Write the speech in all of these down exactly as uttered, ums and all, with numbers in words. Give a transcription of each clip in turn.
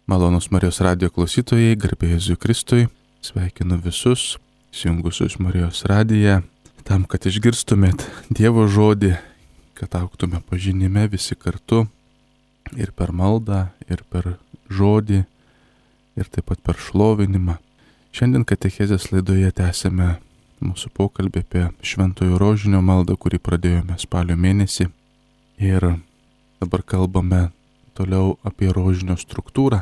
Malonus Marijos radijo klausytojai, garbė Jėzui Kristui, sveikinu visus, įsijungusius Marijos radiją, tam, kad išgirstumėt Dievo žodį, kad augtume pažinime visi kartu, ir per maldą, ir per žodį, ir taip pat per šlovinimą. Šiandien katechezės laidoje tęsime mūsų pokalbį apie Šventojo Rožinio maldą, kurį pradėjome spalio mėnesį. Ir dabar kalbame toliau apie rožinio struktūrą.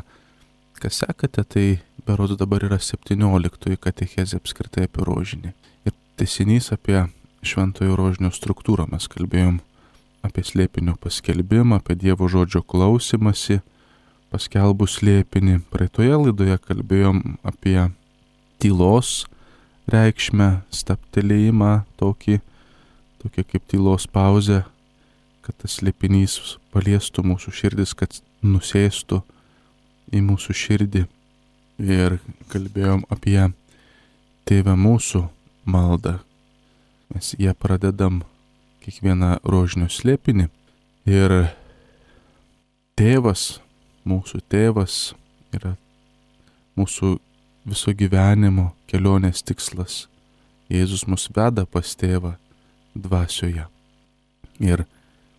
Kas sekate, tai berods dabar yra septynioliktoji katechezė apskritai apie rožinį. Ir tęsinys apie Šventojo Rožinio struktūrą. Mes kalbėjom apie slėpinio paskelbimą, apie Dievo žodžio klausimąsi, paskelbus slėpinį. Praeitoje laidoje kalbėjom apie tylos reikšmę, stabtelėjimą, tokį, tokia kaip tylos pauzė, kad tas slėpinys paliestų mūsų širdis, kad nusėstų į mūsų širdį. Ir kalbėjom apie Tėve mūsų maldą. Mes ją pradedam kiekvieną rožinio slėpinį. Ir Tėvas, mūsų Tėvas, yra mūsų viso gyvenimo kelionės tikslas. Jėzus mus veda pas Tėvą dvasioje. Ir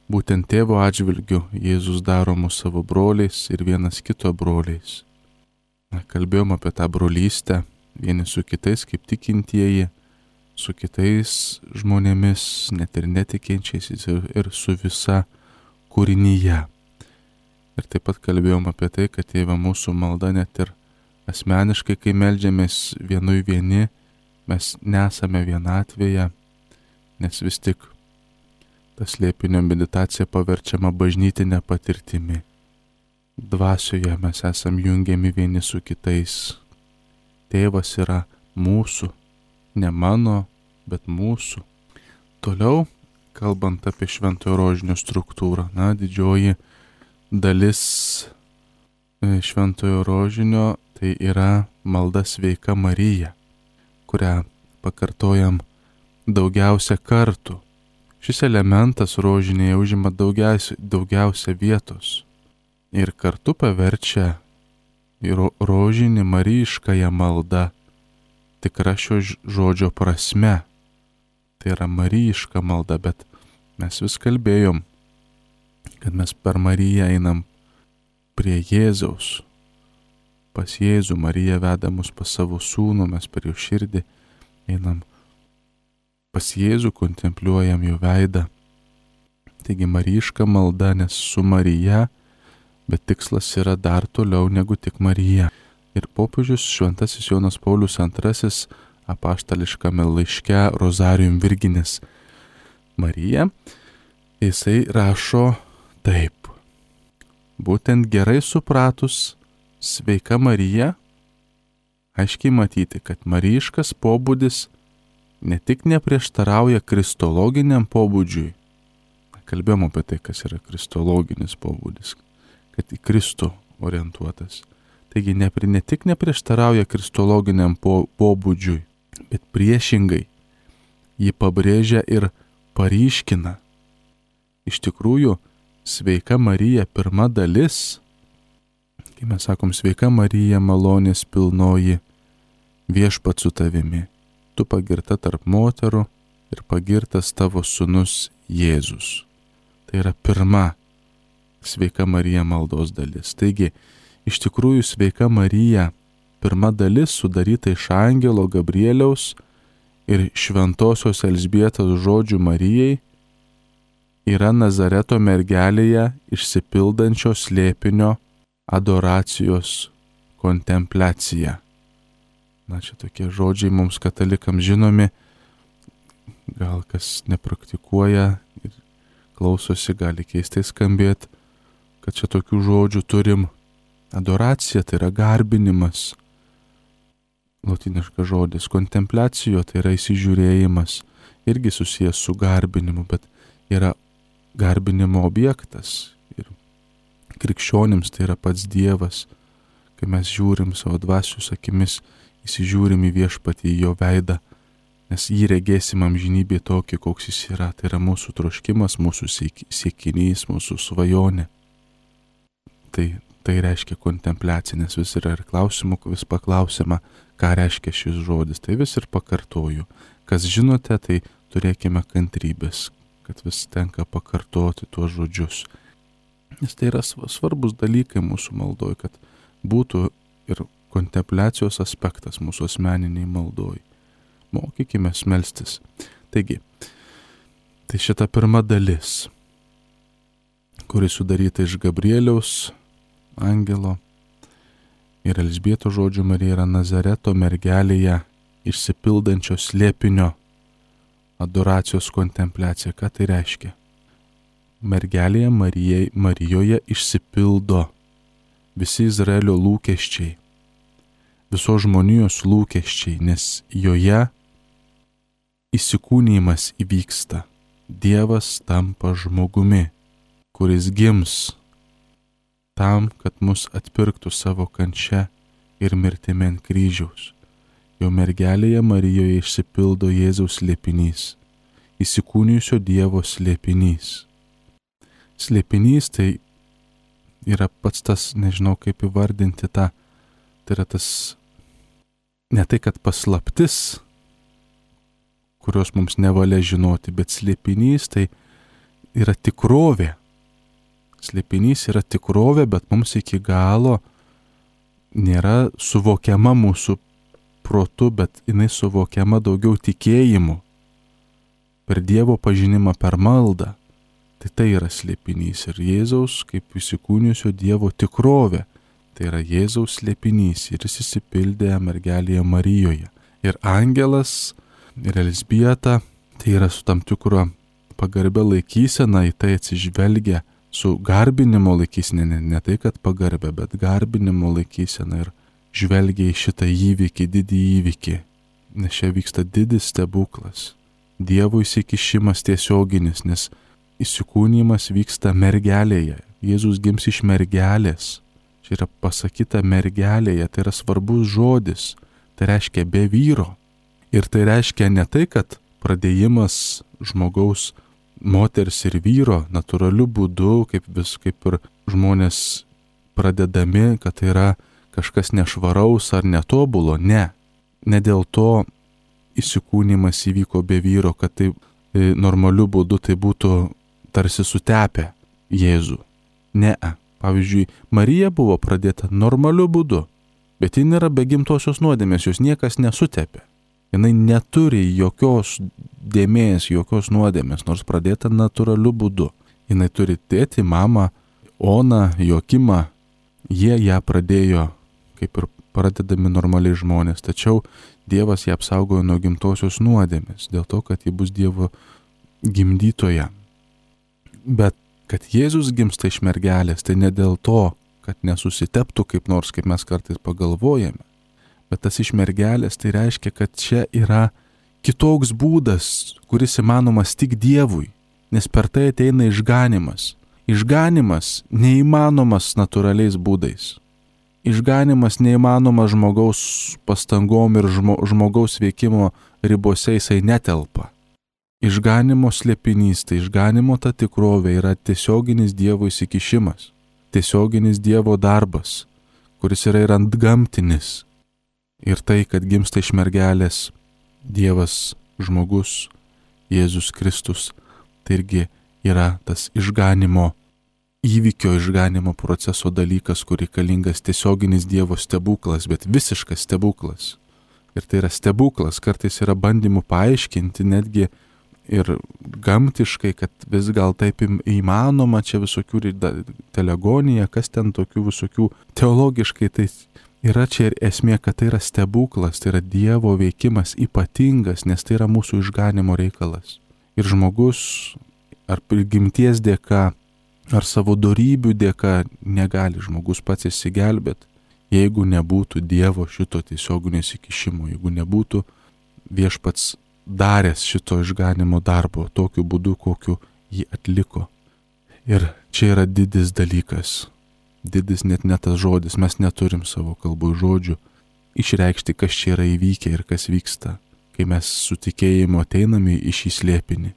būtent Tėvo atžvilgiu Jėzus daro mus savo broliais ir vienas kito broliais. Na, kalbėjom apie tą brolystę, vieni su kitais kaip tikintieji, su kitais žmonėmis, net ir netikinčiais, ir su visa kūrinyje. Ir taip pat kalbėjom apie tai, kad Tėve mūsų malda net ir asmeniškai, kai meldžiamės vienui vieni, mes nesame vienatvėje, nes vis tik ta slėpinio meditacija paverčiama bažnytinė patirtimi. Dvasioje mes esam jungiami vieni su kitais. Tėvas yra mūsų, ne mano, bet mūsų. Toliau, kalbant apie Šventojo Rožinio struktūrą, na, didžioji dalis Šventojo Rožinio tai yra malda Sveika Marija, kurią pakartojam daugiausia kartų. Šis elementas rožinėje užima daugiausia, daugiausia vietos ir kartu paverčia rožinį marijiškąją maldą tikra šio žodžio prasme. Tai yra marijiška malda, bet mes vis kalbėjom, kad mes per Mariją einam prie Jėzaus. Pas Jėzų Marija veda mus pas savo sūnų, mes per jo širdį einam pas Jėzų, kontempliuojam jo veidą. Taigi marijiška malda, nes su Marija, bet tikslas yra dar toliau negu tik Marija. Ir popiežius Šventasis Jonas Paulius antrasis apaštališkame laiške Rozarium Virginis Marija, jisai rašo taip. Būtent gerai supratus Sveika Marija, aiškiai matyti, kad marijiškas pobūdis ne tik neprieštarauja kristologiniam pobūdžiui. Kalbėjom apie tai, kas yra kristologinis pobūdis, kad į Kristų orientuotas. Taigi ne, ne tik neprieštarauja kristologiniam po, pobūdžiui, bet priešingai jį pabrėžia ir paryškina. Iš tikrųjų, Sveika Marija pirma dalis, kai mes sakom Sveika Marija malonės pilnoji, viešpats su tavimi. Tu pagirta tarp moterų ir pagirtas tavo sūnus Jėzus. Tai yra pirma Sveika Marija maldos dalis. Taigi, iš tikrųjų Sveika Marija, pirma dalis sudaryta iš angelo Gabrieliaus ir šventosios Elzbietos žodžių Marijai, yra Nazareto mergelėje išsipildančio slėpinio adoracijos kontempliacija. Na, čia tokie žodžiai mums katalikams žinomi, gal kas nepraktikuoja ir klausosi, gali keistai skambėti, kad čia tokių žodžių turim. Adoracija tai yra garbinimas, lotyniškas žodis, kontempliacijo tai yra įsižiūrėjimas, irgi susijęs su garbinimu, bet yra garbinimo objektas. Ir krikščionims tai yra pats Dievas, kai mes žiūrim savo dvasios akimis, įsižiūrim į viešpatį, į jo veidą, nes jį regėsim amžinybėje tokį, koks jis yra. Tai yra mūsų troškimas, mūsų siekinys, mūsų svajonė. Tai tai reiškia kontempliacija, nes vis yra ir klausimų, vis paklausima, ką reiškia šis žodis. Tai vis ir pakartoju. Kas žinote, tai turėkime kantrybės, kad vis tenka pakartoti tuos žodžius. Nes tai yra svarbus dalykai mūsų maldoj, kad būtų ir kontempliacijos aspektas mūsų asmeniniai maldoj. Mokykime melstis. Taigi, tai šita pirma dalis, kuri sudaryta iš Gabrieliaus angelo ir Elžbietos žodžių Marija yra Nazareto mergelėje išsipildančio slėpinio adoracijos kontempliacija. Ką tai reiškia? Mergelėje Marijai, Marijoje išsipildo visi Izraelio lūkesčiai, visos žmonijos lūkesčiai, nes joje įsikūnijimas įvyksta. Dievas tampa žmogumi, kuris gims tam, kad mus atpirktų savo kančia ir mirtimi ant kryžiaus. Jo mergelėje Marijoje išsipildo Jėzaus slėpinys, įsikūnijusio Dievo slėpinys. Slėpinys tai yra pats tas, nežinau kaip įvardinti tą, tai yra tas, ne tai kad paslaptis, kurios mums nevalia žinoti, bet slėpinys tai yra tikrovė. Slėpinys yra tikrovė, bet mums iki galo nėra suvokiama mūsų protu, bet jinai suvokiama daugiau tikėjimu, per Dievo pažinimą, per maldą. Tai tai yra slėpinys ir Jėzaus kaip įsikūnijusio Dievo tikrovė. Tai yra Jėzaus slėpinys ir jis įsipildė mergelėje Marijoje. Ir angelas ir Elžbieta, tai yra su tam tikro pagarbia laikysena, į tai atsižvelgia su garbinimo laikysena, ne, ne tai kad pagarbia, bet garbinimo laikysena ir žvelgia į šitą įvykį, didį įvykį, nes čia vyksta didis stebuklas. Dievo įsikišimas tiesioginis, nes įsikūnijimas vyksta mergelėje. Jėzus gims iš mergelės. Čia yra pasakyta mergelėje, tai yra svarbus žodis. Tai reiškia be vyro. Ir tai reiškia ne tai, kad pradėjimas žmogaus, moters ir vyro natūraliu būdu, kaip vis kaip ir žmonės pradedami, kad tai yra kažkas nešvaraus ar netobulo. Ne. Ne dėl to įsikūnijimas įvyko be vyro, kad tai e, normaliu būdu tai būtų tarsi sutepę Jėzų. Ne. Pavyzdžiui, Marija buvo pradėta normaliu būdu, bet ji nėra be gimtosios nuodėmės, jos niekas nesutepė. Jinai neturi jokios dėmės, jokios nuodėmės, nors pradėta natūraliu būdu. Jinai turi tėtį, mamą, Oną, Jokimą. Jie ją pradėjo kaip ir pradedami normaliai žmonės, tačiau Dievas ją apsaugojo nuo gimtosios nuodėmės, dėl to, kad ji bus Dievo gimdytoja. Bet kad Jėzus gimsta iš mergelės, tai ne dėl to, kad nesusiteptų kaip nors, kaip mes kartais pagalvojame, bet tas iš mergelės tai reiškia, kad čia yra kitoks būdas, kuris įmanomas tik Dievui, nes per tai ateina išganimas. Išganimas neįmanomas natūraliais būdais. Išganimas neįmanomas žmogaus pastangom ir žmo, žmogaus veikimo ribose, jisai netelpa. Išganimo slėpinys, tai išganimo ta tikrovė yra tiesioginis Dievo įsikišimas, tiesioginis Dievo darbas, kuris yra ir antgamtinis. Ir tai, kad gimsta iš mergelės Dievas, žmogus, Jėzus Kristus, tai irgi yra tas išganimo įvykio, išganimo proceso dalykas, kur reikalingas tiesioginis Dievo stebuklas, bet visiškas stebuklas. Ir tai yra stebuklas, kartais yra bandymų paaiškinti netgi ir gamtiškai, kad vis gal taip įmanoma, čia visokių telegonija, kas ten tokių visokių teologiškai, tai yra čia ir esmė, kad tai yra stebuklas, tai yra Dievo veikimas ypatingas, nes tai yra mūsų išganimo reikalas. Ir žmogus ar prigimties dėka, ar savo dorybių dėka negali žmogus pats išsigelbėti, jeigu nebūtų Dievo šito tiesioginio įsikišimo, jeigu nebūtų viešpats daręs šito išganimo darbo tokiu būdu, kokiu jį atliko. Ir čia yra didis dalykas. Didis net ne tas žodis, mes neturim savo kalboj žodžių išreikšti, kas čia yra įvykę ir kas vyksta, kai mes su tikėjimu ateiname į šį slėpinį.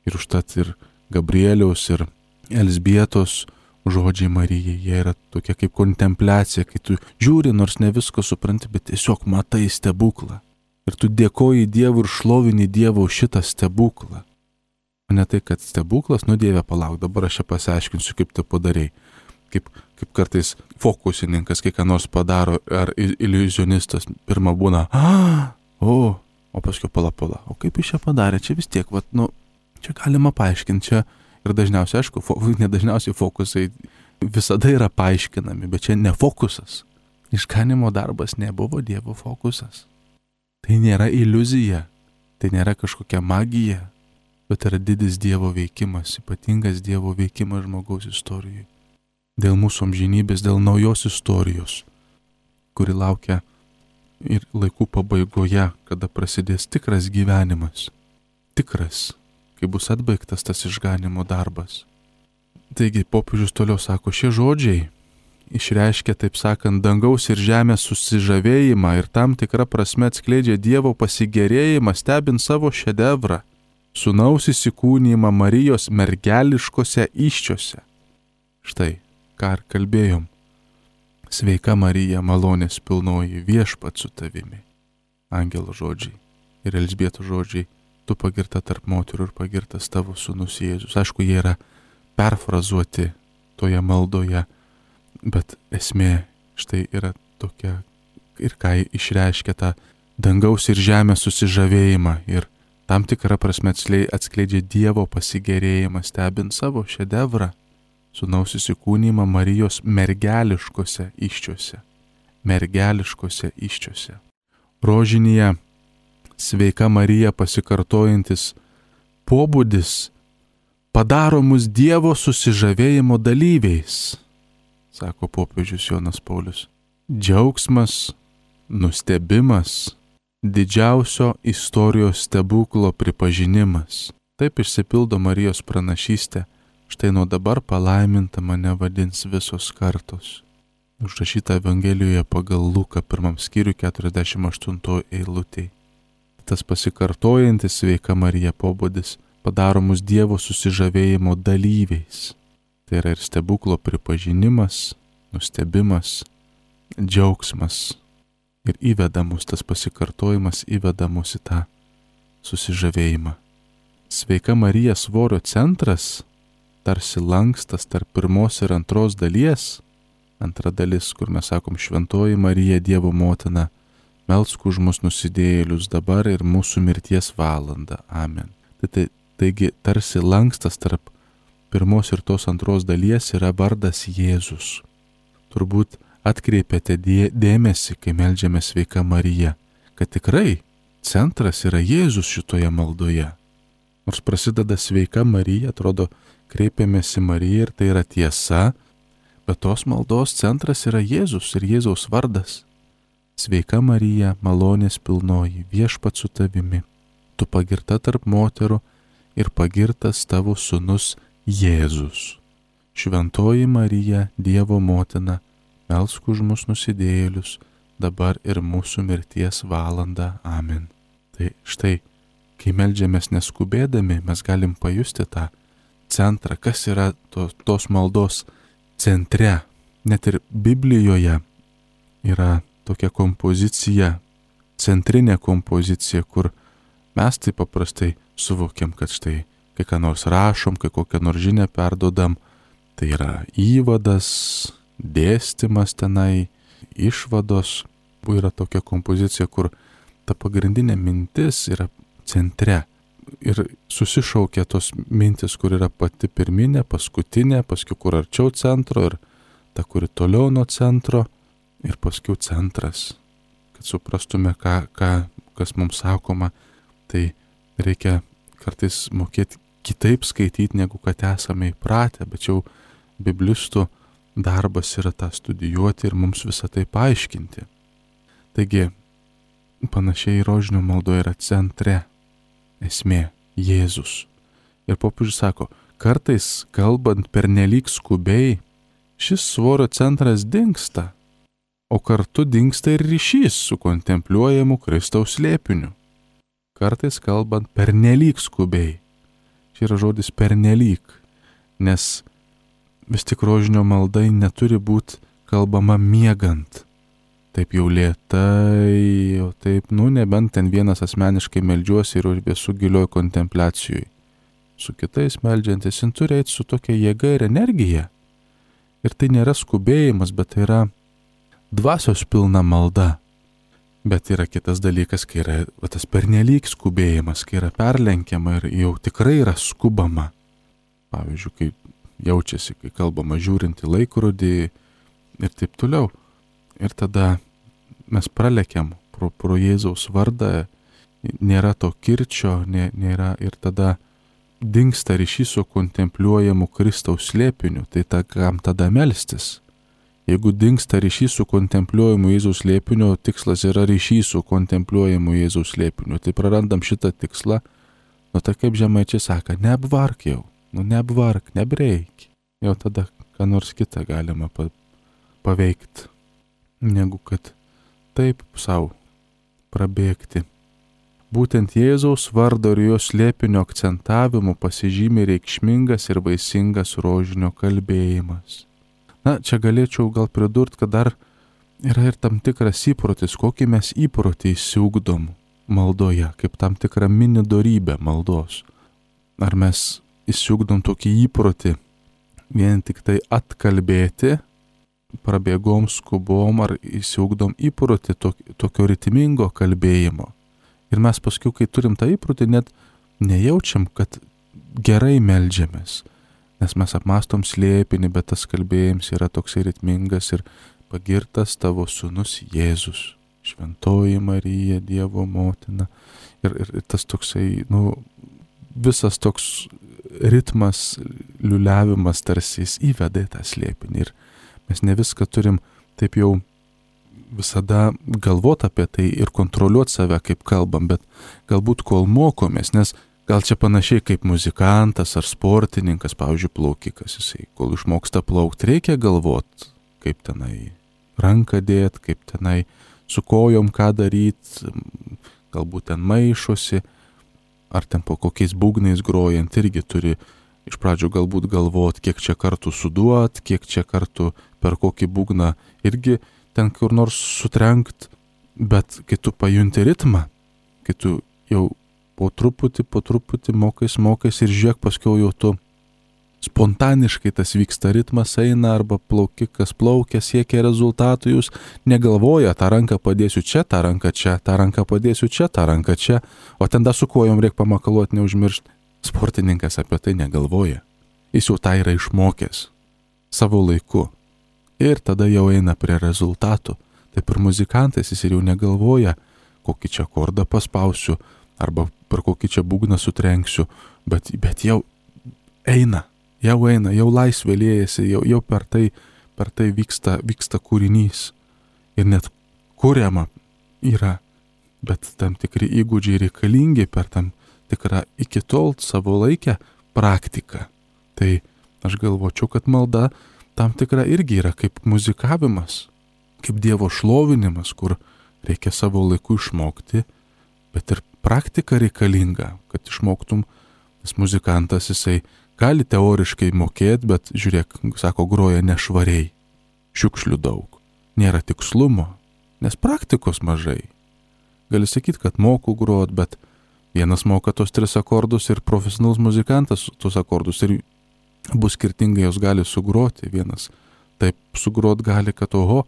Ir užtat ir Gabrieliaus ir Elžbietos žodžiai Marijai, jie yra tokia kaip kontempliacija, kai tu žiūri, nors ne visko supranti, bet tiesiog matai stebuklą. Ir tu dėkoji Dievui ir šlovini Dievą už šitą stebuklą. O ne tai, kad stebuklas, nu Dieve, palauk, dabar aš čia pasiaiškinsiu, kaip tu padarei. Kaip, kaip kartais fokusininkas, kai ką nors padaro, ar iliuzionistas, pirmą būna, a, o, o paskui pala, pala, o kaip jis čia padarė, čia vis tiek, vat, nu, čia galima paaiškinti, čia ir dažniausiai, aišku, fo, nedažniausiai fokusai visada yra paaiškinami, bet čia ne fokusas. Išganimo darbas nebuvo Dievo fokusas. Tai nėra iliuzija, tai nėra kažkokia magija, bet yra didis Dievo veikimas, ypatingas Dievo veikimas žmogaus istorijoje. Dėl mūsų amžinybės, dėl naujos istorijos, kuri laukia ir laikų pabaigoje, kada prasidės tikras gyvenimas. Tikras, kai bus atbaigtas tas išganimo darbas. Taigi popiežius toliau sako, šie žodžiai išreiškia, taip sakant, dangaus ir žemės susižavėjimą ir tam tikrą prasme atskleidžia Dievo pasigėrėjimą stebint savo šedevrą, sūnaus įsikūnijimą Marijos mergeliškose įsčiose. Štai, ką ir kalbėjom. Sveika Marija, malonės pilnoji, viešpat su tavimi. Angelo žodžiai ir Elžbietos žodžiai, tu pagirta tarp moterų ir pagirtas tavo sūnus Jėzus. Aišku, jie yra perfrazuoti toje maldoje, bet esmė štai yra tokia ir ką išreiškia tą dangaus ir žemės susižavėjimą ir tam tikrą prasme atskleidžia Dievo pasigėrėjimą stebint savo šedevrą, sūnaus įsikūnijimą Marijos mergeliškose įsčiose. Mergeliškose įsčiose. Rožinėje sveika Marija pasikartojantis pobūdis padaro mus Dievo susižavėjimo dalyviais, sako popiežius Jonas Paulius. Džiaugsmas, nustebimas, didžiausio istorijos stebuklo pripažinimas. Taip išsipildo Marijos pranašystė, štai nuo dabar palaiminta mane vadins visos kartos. Užrašyta Evangelijoje pagal Luką pirmam skyriui keturiasdešimt aštuntoj eilutėj. Tas pasikartojantis sveika Marija pobūdis padaro mus Dievo susižavėjimo dalyviais. Tai yra ir stebuklo pripažinimas, nustebimas, džiaugsmas. Ir įveda mus, tas pasikartojimas įveda mus į tą susižavėjimą. Sveika Marija svorio centras, tarsi lankstas tarp pirmos ir antros dalies. Antra dalis, kur mes sakom šventoji Marija, Dievo motina, melsk už mus nusidėjėlius dabar ir mūsų mirties valandą. Amen. Tai, tai, taigi tarsi lankstas tarp pirmos ir tos antros dalies yra vardas Jėzus. Turbūt atkreipiate dėmesį, kai meldžiame sveika Marija, kad tikrai centras yra Jėzus šitoje maldoje. Nors prasideda sveika Marija, atrodo, kreipiamės į Mariją ir tai yra tiesa, bet tos maldos centras yra Jėzus ir Jėzaus vardas. Sveika Marija, malonės pilnoji, viešpat su tavimi, tu pagirta tarp moterų ir pagirtas tavo sūnus Jėzus. Šventoji Marija, Dievo motina, melsk už mus nusidėjėlius, dabar ir mūsų mirties valandą. Amen. Tai štai, kai meldžiamės neskubėdami, mes galim pajusti tą centrą, kas yra to, tos maldos centre. Net ir Biblijoje yra tokia kompozicija, centrinė kompozicija, kur mes taip paprastai suvokiam, kad štai, kai ką nors rašom, kai kokią nors žinią perdodam, tai yra įvadas, dėstymas tenai, išvados. Yra tokia kompozicija, kur ta pagrindinė mintis yra centre. Ir susišaukia tos mintis, kur yra pati pirminė, paskutinė, paskui kur arčiau centro ir ta, kuri toliau nuo centro. Ir paskui centras, kad suprastume, ką, ką, kas mums sakoma, tai reikia kartais mokėti kitaip skaityti, negu kad esame įpratę, bet jau biblistų darbas yra tą studijuoti ir mums visą tai paaiškinti. Taigi, panašiai rožinio maldoje yra centre esmė Jėzus. Ir popiežius sako, kartais kalbant pernelyg skubiai, šis svorio centras dingsta, o kartu dingsta ir ryšys su kontempliuojamu Kristaus slėpiniu. Kartais kalbant pernelyg skubiai. Čia yra žodis pernelyg, nes vis tik rožinio maldai neturi būti kalbama miegant. Taip jau lėtai, jau taip, nu nebent ten vienas asmeniškai meldžiuosi ir esu gilioj kontempliacijoj. Su kitais meldžiantis, jis turi eiti su tokia jėga ir energija. Ir tai nėra skubėjimas, bet tai yra dvasios pilna malda. Bet yra kitas dalykas, kai yra va, tas pernelyg skubėjimas, kai yra perlenkiama ir jau tikrai yra skubama. Pavyzdžiui, kai jaučiasi, kai kalbama žiūrint į laikrodį ir taip toliau. Ir tada mes pralekiam pro, pro Jėzaus vardą, nėra to kirčio, nė, nėra ir tada dingsta ryšys su kontempliuojamu Kristaus slėpiniu. Tai ta, kam tada melstis? Jeigu dingsta ryšys su kontempliuojamu Jėzaus slėpiniu, tikslas yra ryšys su kontempliuojamu Jėzaus slėpiniu. Tai prarandam šitą tikslą, nu tai kaip žemaičiai sako, neapvark jau, nu neapvark, nebreik. Jau tada ką nors kitą galima pa, paveikti, negu kad taip savo prabėgti. Būtent Jėzaus vardo ir jo slėpinio akcentavimu pasižymi reikšmingas ir vaisingas rožinio kalbėjimas. Na, čia galėčiau gal pridurti, kad dar yra ir tam tikras įprotis, kokį mes įprotį įsiugdom maldoje, kaip tam tikrą mini dorybę maldos. Ar mes įsiugdom tokį įprotį vien tik tai atkalbėti, prabėgom, skubom, ar įsiugdom įprotį tokio ritmingo kalbėjimo. Ir mes paskui, kai turim tą įprotį, net nejaučiam, kad gerai meldžiamės. Nes mes apmastom slėpinį, bet tas kalbėjimas yra toksai ritmingas ir pagirtas tavo sūnus Jėzus, šventoji Marija, Dievo motina. Ir, ir, ir tas toksai, nu, visas toks ritmas, liuliavimas tarsi jis įveda į tą slėpinį. Ir mes ne viską turim taip jau visada galvoti apie tai ir kontroliuoti save, kaip kalbam, bet galbūt kol mokomės, nes gal čia panašiai kaip muzikantas ar sportininkas, pavyzdžiui, plaukikas, jisai, kol išmoksta plaukti, reikia galvoti, kaip tenai ranką dėt, kaip tenai su kojom ką daryti, galbūt ten maišosi, ar ten po kokiais būgnais grojant, irgi turi iš pradžių galbūt galvoti, kiek čia kartų suduot, kiek čia kartų per kokį būgną irgi ten kur nors sutrenkt, bet kai tu pajunti ritmą, kai tu jau po truputį, po truputį mokais, mokais ir žiūrėk, paskiau jau tu spontaniškai tas vyksta, ritmas eina, arba plaukikas plaukia, siekia rezultatų, jūs negalvoja, tą ranką padėsiu čia, tą ranką čia, tą ranką padėsiu čia, tą ranką čia, o ten dar su kojom reikia pamakaluoti, neužmiršti. Sportininkas apie tai negalvoja. Jis jau tą yra išmokęs savo laiku. Ir tada jau eina prie rezultatų. Taip ir muzikantas, jis ir jau negalvoja, kokį čia akordą paspausiu, arba per kokį čia būgną sutrenksiu, bet, bet jau eina, jau eina, jau laisvė liejasi, jau, jau per tai, per tai vyksta, vyksta kūrinys. Ir net kuriama yra, bet tam tikri įgūdžiai reikalingi per tam tikrą iki tol savo laikę praktiką. Tai aš galvočiau, kad malda tam tikra irgi yra kaip muzikavimas, kaip Dievo šlovinimas, kur reikia savo laiku išmokti, bet ir praktika reikalinga, kad išmoktum, nes muzikantas jisai gali teoriškai mokėti, bet žiūrėk, sako, groja nešvariai, šiukšlių daug, nėra tikslumo, nes praktikos mažai. Gali sakyti, kad moku grot, bet vienas moka tos tris akordus ir profesionalus muzikantas tos akordus ir bus skirtingai jos gali sugroti. Vienas taip sugrot gali, kad oho,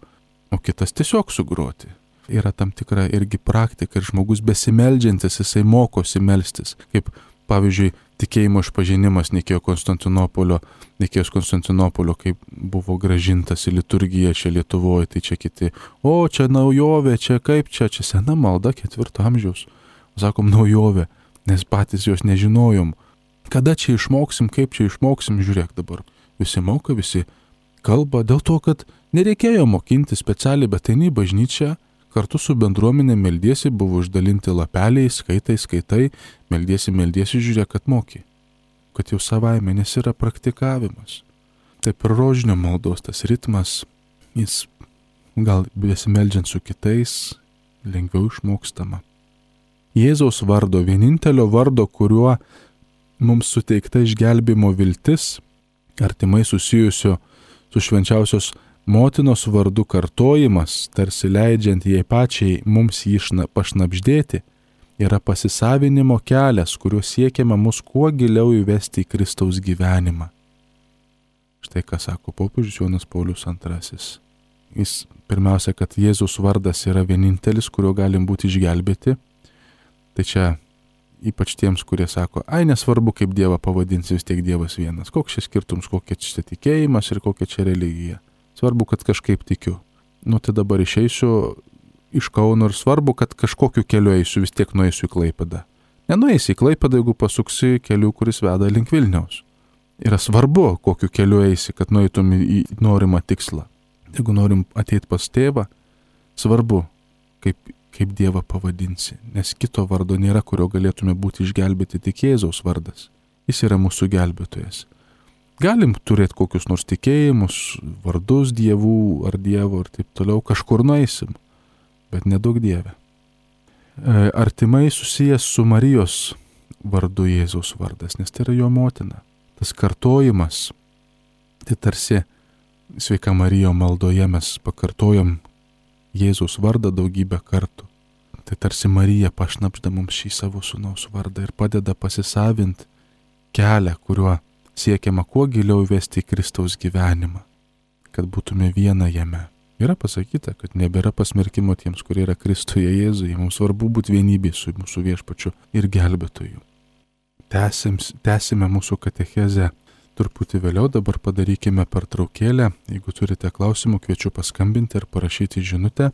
o kitas tiesiog sugroti. Yra tam tikra irgi praktika ir žmogus besimeldžiantis, jisai mokosi melstis. Kaip pavyzdžiui, tikėjimo išpažinimas Nikėjos Konstantinopolio, Nikėjos Konstantinopolio, kaip buvo gražintas į liturgiją čia Lietuvoje, tai čia kiti, o čia naujovė, čia kaip čia, čia sena malda ketvirto amžiaus. Sakom naujovė, nes patys jos nežinojom. Kada čia išmoksim, kaip čia išmoksim, žiūrėk dabar. Visi moka, visi kalba, dėl to, kad nereikėjo mokinti specialiai, bet eini į bažnyčią, kartu su bendruomenė meldiesi, buvo išdalinti lapeliai, skaitai, skaitai, meldiesi, meldiesi, žiūrėk, kad moki. Kad jau savaime, nes yra praktikavimas. Taip ir rožinio maldos tas ritmas, jis gal besimeldžiant su kitais, lengviau išmokstama. Jėzaus vardo, vienintelio vardo, kuriuo mums suteikta išgelbėjimo viltis, artimai susijusio su švenčiausios motinos vardu kartojimas, tarsi leidžiant jai pačiai mums jį pašnabždėti, yra pasisavinimo kelias, kuriuo siekiama mus kuo giliau įvesti į Kristaus gyvenimą. Štai ką sako popiežius Jonas Paulius antrasis. Jis pirmiausia, kad Jėzus vardas yra vienintelis, kuriuo galim būti išgelbėti. Tai čia ypač tiems, kurie sako, ai nesvarbu, kaip Dievą pavadinsi, vis tiek Dievas vienas. Koks čia skirtums, kokia čia tikėjimas ir kokia čia religija. Svarbu, kad kažkaip tikiu. Nu tai dabar išeisiu iš Kauno ir svarbu, kad kažkokiu keliu eisiu, vis tiek nueisiu į Klaipėdą. Nenueisi į Klaipėdą, jeigu pasuksi keliu, kuris veda link Vilniaus. Yra svarbu, kokiu keliu eisi, kad nueitum į norimą tikslą. Jeigu norim ateiti pas tėvą, svarbu, kaip, kaip Dievą pavadinsi, nes kito vardo nėra, kurio galėtume būti išgelbėti, tik Jėzaus vardas. Jis yra mūsų gelbėtojas. Galim turėti kokius nors tikėjimus, vardus dievų ar dievo ir taip toliau, kažkur nueisim, bet nedaug Dieve. Artimai susijęs su Marijos vardu Jėzaus vardas, nes tai yra jo motina. Tas kartojimas, tai tarsi Sveika Marijo maldoje mes pakartojam Jėzaus vardą daugybę kartų. Tai tarsi Marija pašnabžda mums šį savo sūnaus vardą ir padeda pasisavinti kelią, kuriuo siekiama kuo giliau įvesti į Kristaus gyvenimą, kad būtume viena jame. Yra pasakyta, kad nebėra pasmerkimo tiems, kurie yra Kristuje Jėzuje. Mums svarbu būti vienybė su mūsų viešpačiu ir gelbėtoju. Tęsim, tęsime mūsų katechezę truputį vėliau, dabar padarykime pertraukėlę. Jeigu turite klausimų, kviečiu paskambinti ir parašyti žinutę.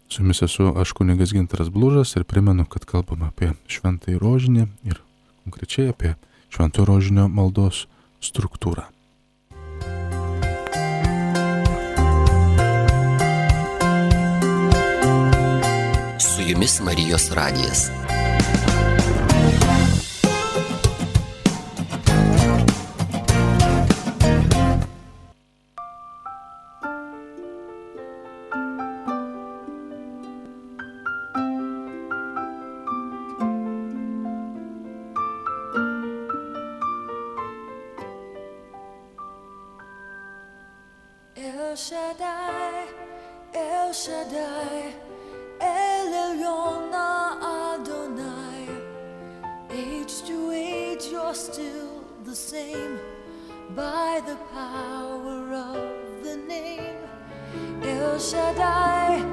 Su jumis esu aš kunigas Gintaras Blužas ir primenu, kad kalbame apie šventąjį rožinį ir konkrečiai apie šventojo rožinio maldos struktūrą. Su jumis Marijos radijas. El Shaddai, El Shaddai, El Elyon Adonai. Age to age you're still the same by the power of the name. El Shaddai,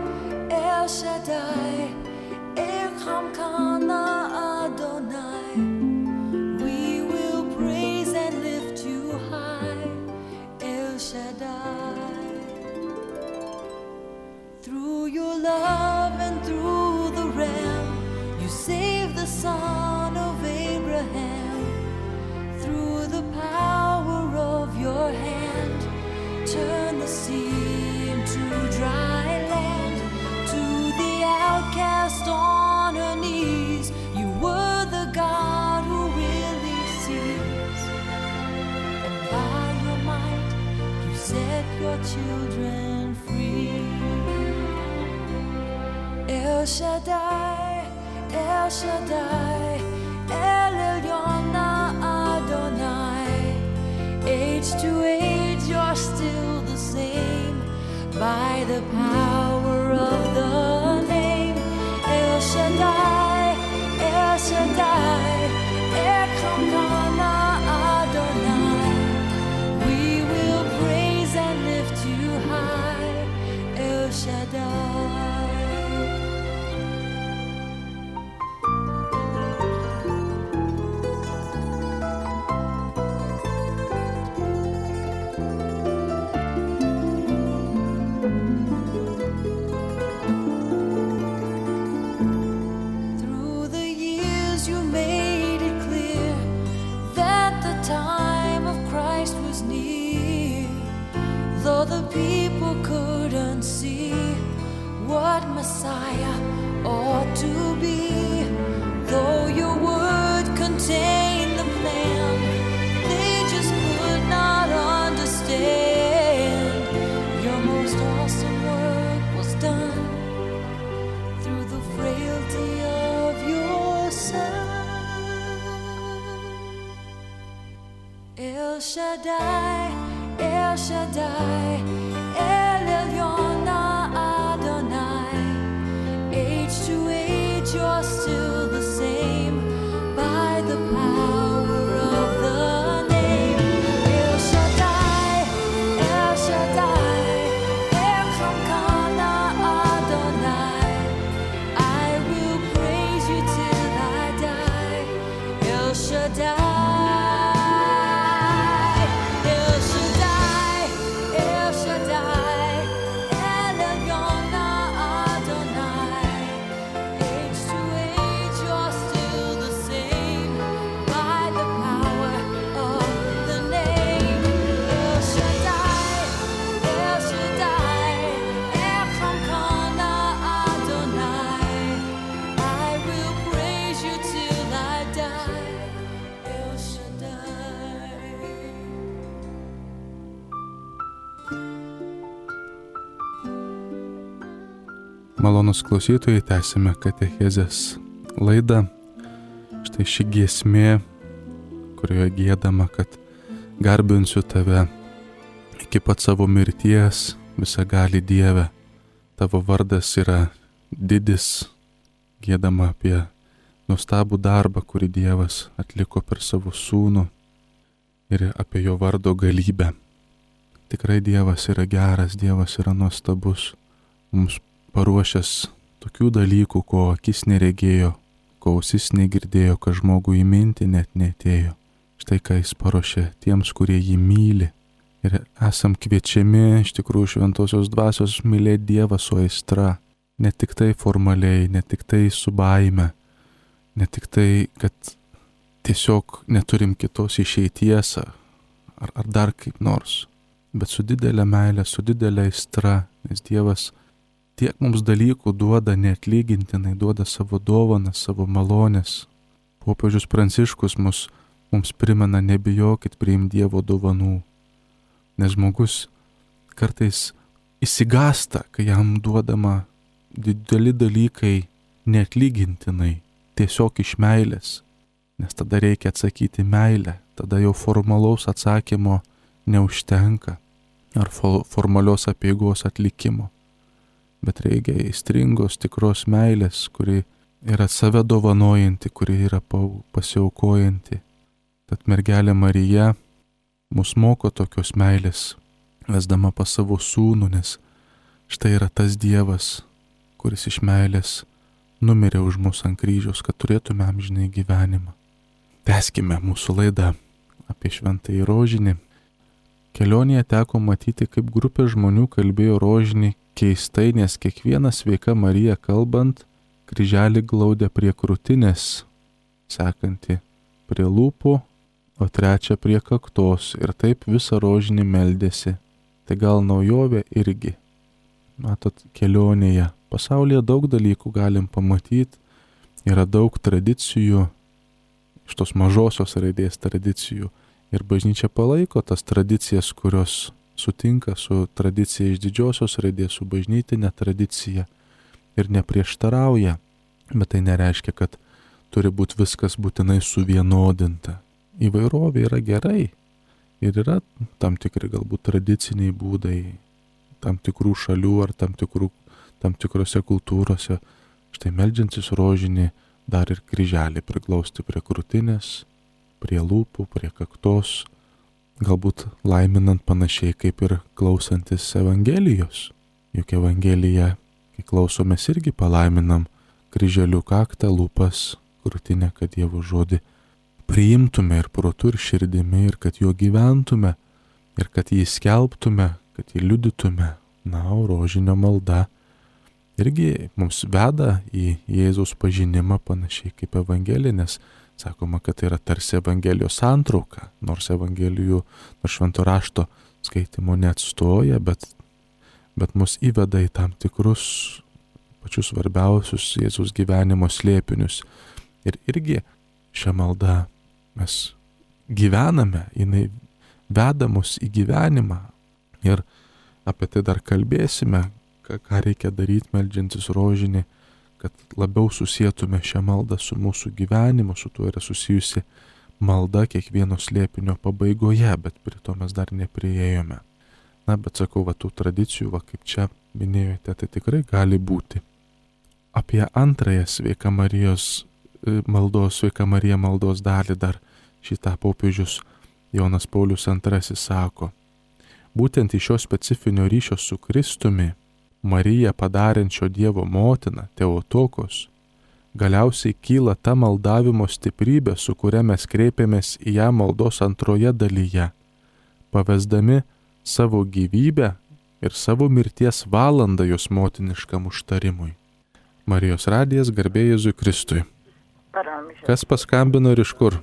El Shaddai, Echam Kana Adonai. We will praise and lift you high, El Shaddai. Through your love and through the Ram, you saved the son of Abraham. Through the power of your hand, turn the sea into dry land. To the outcast on her knees, you were the God who really sees. And by your might, you set your children free. El Shaddai, El Shaddai, El Elyon Adonai. Age to age you're still the same by the power of the name. El Shaddai, El Shaddai, Echam Kana Adonai. We will praise and lift you high, El Shaddai. Messiah ought to be. Though your word contained the plan, they just could not understand. Your most awesome work was done through the frailty of your Son. El Shaddai, El Shaddai, El Elyon Adonai. Age to age you're still the same by the power of the name. El Shaddai, El Shaddai, Elkamkana Adonai. I will praise you till I die. El Shaddai. Malonus klausytojai, tęsime katechezės laidą. Štai ši giesmė, kurioje giedama, kad garbinsiu tave iki pat savo mirties, visagali Dieve. Tavo vardas yra didis, giedama apie nuostabų darbą, kurį Dievas atliko per savo sūnų ir apie jo vardo galybę. Tikrai Dievas yra geras, Dievas yra nuostabus, mums paruošęs tokių dalykų, ko akis neregėjo, ko ausis negirdėjo, ką žmogui į mintį net neatėjo. Štai ką jis paruošė tiems, kurie jį myli. Ir esam kviečiami iš tikrųjų šventosios dvasios mylėti Dievą su aistra. Ne tik tai formaliai, ne tik tai su baime, ne tik tai, kad tiesiog neturim kitos išeities ar, ar dar kaip nors, bet su didelė meilė, su didelė aistra, nes Dievas tiek mums dalykų duoda neatlygintinai, duoda savo dovanas, savo malonės. Popiežius Pranciškus mus, mums primena, nebijokit priimti Dievo dovanų. Nes žmogus kartais įsigasta, kai jam duodama dideli dalykai neatlygintinai, tiesiog iš meilės. Nes tada reikia atsakyti meilę, tada jau formalaus atsakymo neužtenka ar formalios apeigos atlikimo. Bet reikia įstringos tikros meilės, kuri yra save dovanojanti, kuri yra pasiaukojanti. Tad mergelė Marija mus moko tokios meilės, vesdama pas savo sūnų, nes štai yra tas Dievas, kuris iš meilės numirė už mus ant kryžiaus, kad turėtume amžinai gyvenimą. Tęskime mūsų laidą apie šventąjį rožinį. Kelionėje teko matyti, kaip grupė žmonių kalbėjo rožinį keistai, nes kiekviena sveika Marija kalbant, kryželį glaudė prie krūtinės, sekanti prie lūpų, o trečia prie kaktos, ir taip visą rožinį meldėsi. Tai gal naujovė irgi. Matot, kelionėje. Pasaulyje daug dalykų galim pamatyti, yra daug tradicijų, iš tos mažosios raidės tradicijų, ir bažnyčia palaiko tas tradicijas, kurios sutinka su tradicija iš didžiosios raidės, su bažnytinė tradicija ir neprieštarauja, bet tai nereiškia, kad turi būti viskas būtinai suvienodinta. Įvairovė yra gerai ir yra tam tikri galbūt tradiciniai būdai, tam tikrų šalių ar tam, tikrų, tam tikrose kultūrose. Štai meldžiantis rožinį dar ir kryželį priglausti prie krūtinės, prie lūpų, prie kaktos, galbūt laiminant panašiai kaip ir klausantis Evangelijos. Juk Evangelija, kai klausomės, irgi palaiminam kryželių kaktą, lūpas, krūtinę, kad Dievo žodį priimtume ir protu ir širdimi, ir kad juo gyventume, ir kad jį skelbtume, kad jį liudytume. Na, o rožinio malda irgi mums veda į Jėzaus pažinimą panašiai kaip Evangelija, nes sakoma, kad tai yra tarsi Evangelijos santrauka, nors Evangelijų, nors švento rašto skaitimo neatstoja, bet, bet mus įveda į tam tikrus pačius svarbiausius Jėzaus gyvenimo slėpinius. Ir irgi šią maldą mes gyvename, jinai veda mus į gyvenimą. Ir apie tai dar kalbėsime, ką, ką reikia daryti meldžiantis rožinį, kad labiau susietume šią maldą su mūsų gyvenimu, su tuo yra susijusi malda kiekvieno slėpinio pabaigoje, bet prie to mes dar nepriėjome. Na, bet sakau, va tų tradicijų, va kaip čia minėjote, tai tikrai gali būti. Apie antrąją Sveika Marijos maldos, Sveika Marija maldos dalį dar šitą popiežius Jonas Paulius antrasis sako. Būtent iš šio specifinio ryšio su Kristumi, Mariją padarančio Dievo motiną, Teotokos, galiausiai kyla ta maldavimo stiprybė, su kuria mes kreipiamės į ją maldos antroje dalyje, pavesdami savo gyvybę ir savo mirties valandą jos motiniškam užtarimui. Marijos radijas, garbė Jėzui Kristui. Kas paskambino ir iš kur?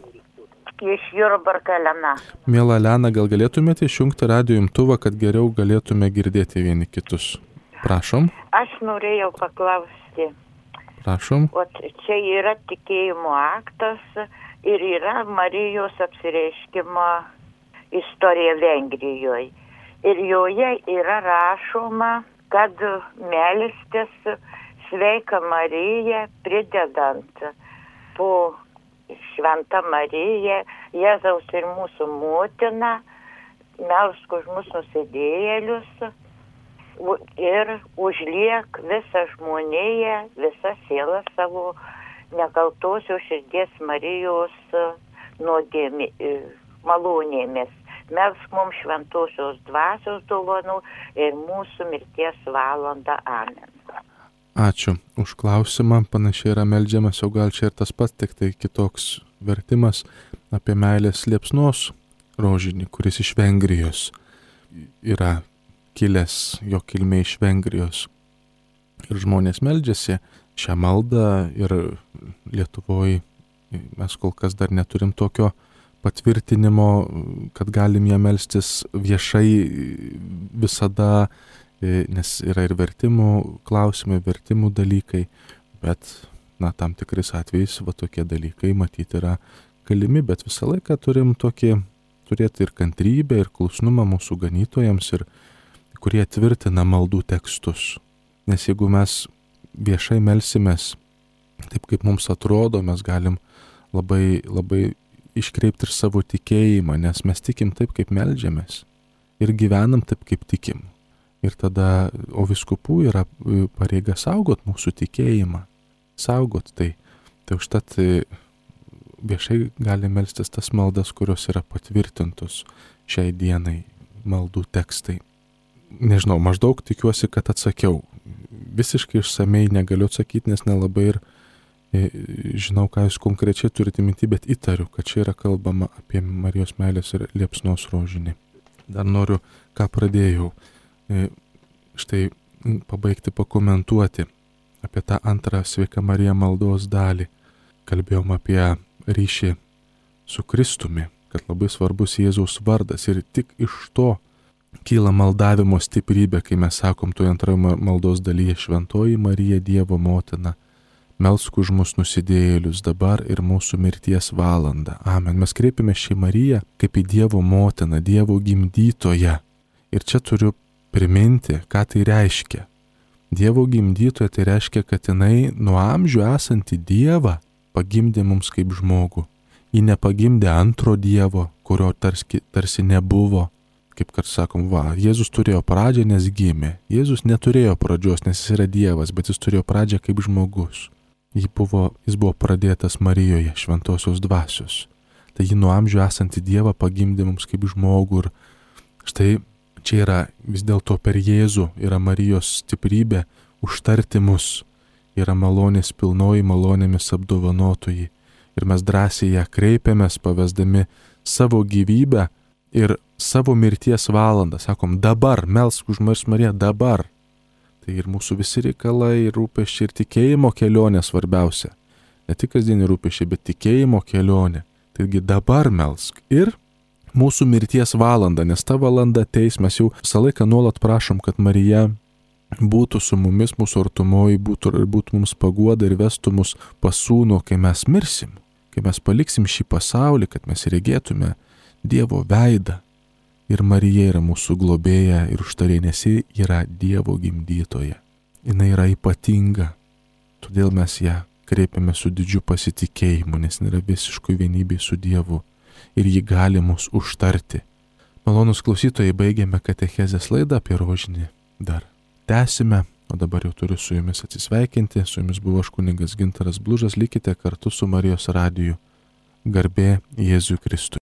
Iš Jurbarko Elena. Miela Elena, gal galėtumėte išjungti radijo imtuvą, kad geriau galėtume girdėti vieni kitus? Prašom. Aš norėjau paklausti. Prašom. O čia yra tikėjimo aktas ir yra Marijos apsireiškimo istorija Vengrijoje. Ir joje yra rašoma, kad melstis Sveika Marija pridedant po Šventa Marija, Jėzaus ir mūsų motina, melsk už mūsų nusidėjėlius ir užliek visą žmoniją, visą sielą savo nekaltosios širdies Marijos nuodėmi, malonėmis. Melsk mums šventosios dvasios dovanų ir mūsų mirties valandą. Amen. Ačiū už klausimą. Panašiai yra meldžiamas, o gal čia ir tas pats, tik tai kitoks vertimas apie meilės liepsnos rožinį, kuris iš Vengrijos yra kilęs, jo kilmė iš Vengrijos. Ir žmonės meldžiasi šią maldą ir Lietuvoje mes kol kas dar neturim tokio patvirtinimo, kad galim ją melstis viešai visada, nes yra ir vertimų klausimai, vertimų dalykai, bet, na, tam tikrais atvejais va tokie dalykai matyti yra galimi, bet visą laiką turim tokį, turėti ir kantrybę, ir klusnumą mūsų ganytojams, ir kurie tvirtina maldų tekstus. Nes jeigu mes viešai melsimės taip, kaip mums atrodo, mes galim labai, labai iškreipti ir savo tikėjimą, nes mes tikim taip, kaip meldžiamės, ir gyvenam taip, kaip tikim. Ir tada, o vyskupų yra pareiga saugot mūsų tikėjimą, saugot tai. Tai užtat viešai gali melstis tas maldas, kurios yra patvirtintos šiai dienai maldų tekstai. Nežinau, maždaug tikiuosi, kad atsakiau. Visiškai išsamei negaliu atsakyti, nes nelabai ir e, žinau, ką jūs konkrečiai turite minty, bet įtariu, kad čia yra kalbama apie Marijos meilės ir liepsnos rožinį. Dar noriu, ką pradėjau. Štai pabaigti pakomentuoti apie tą antrą Sveika Marija maldos dalį. Kalbėjom apie ryšį su Kristumi, kad labai svarbus Jėzaus vardas ir tik iš to kyla maldavimo stiprybė, kai mes sakom toje antroje maldos dalyje: Šventoji Marija, Dievo motina, melsk už mus nusidėjėlius dabar ir mūsų mirties valandą. Amen. Mes kreipiame šią Mariją kaip į Dievo motiną, Dievo gimdytoją. Ir čia turiu priminti, ką tai reiškia. Dievo gimdytoja tai reiškia, kad jinai nuo amžių esantį Dievą pagimdė mums kaip žmogų. Ji nepagimdė antro Dievo, kurio tarsi, tarsi nebuvo. Kaip kad sakom, va, Jėzus turėjo pradžią, nes gimė. Jėzus neturėjo pradžios, nes jis yra Dievas, bet jis turėjo pradžią kaip žmogus. Jis buvo, jis buvo pradėtas Marijoje, šventosios dvasios. Tai ji nuo amžių esantį Dievą pagimdė mums kaip žmogų. Ir štai čia yra vis dėlto per Jėzų, yra Marijos stiprybė užtarti mus, yra malonės pilnoji, malonėmis apdovanotoji. Ir mes drąsiai ją kreipiamės, pavesdami savo gyvybę ir savo mirties valandą. Sakom, dabar, melsk už Mariją, dabar. Tai ir mūsų visi reikalai, ir rūpesčiai, ir tikėjimo kelionė svarbiausia. Ne tik kasdienį rūpesčiai, bet tikėjimo kelionė. Taigi dabar melsk ir mūsų mirties valanda, nes ta valanda ateis, mes jau visą laiką nuolat prašom, kad Marija būtų su mumis, mūsų artumoji, būtų, būtų mums paguoda ir vestų mus pas Sūnų, kai mes mirsim, kai mes paliksim šį pasaulį, kad mes regėtume Dievo veidą. Ir Marija yra mūsų globėja ir užtarė, nes ji yra Dievo gimdytoja. Jis yra ypatinga, todėl mes ją kreipiame su didžiu pasitikėjimu, nes nėra visiškai vienybė su Dievu ir jį gali mus užtarti. Malonus klausytojai, baigėme katechezės laidą apie rožinį. Dar tęsime, o dabar jau turiu su jumis atsisveikinti. Su jumis buvo aš kunigas Gintaras Blužas, likite kartu su Marijos radiju. Garbė Jėzui Kristui.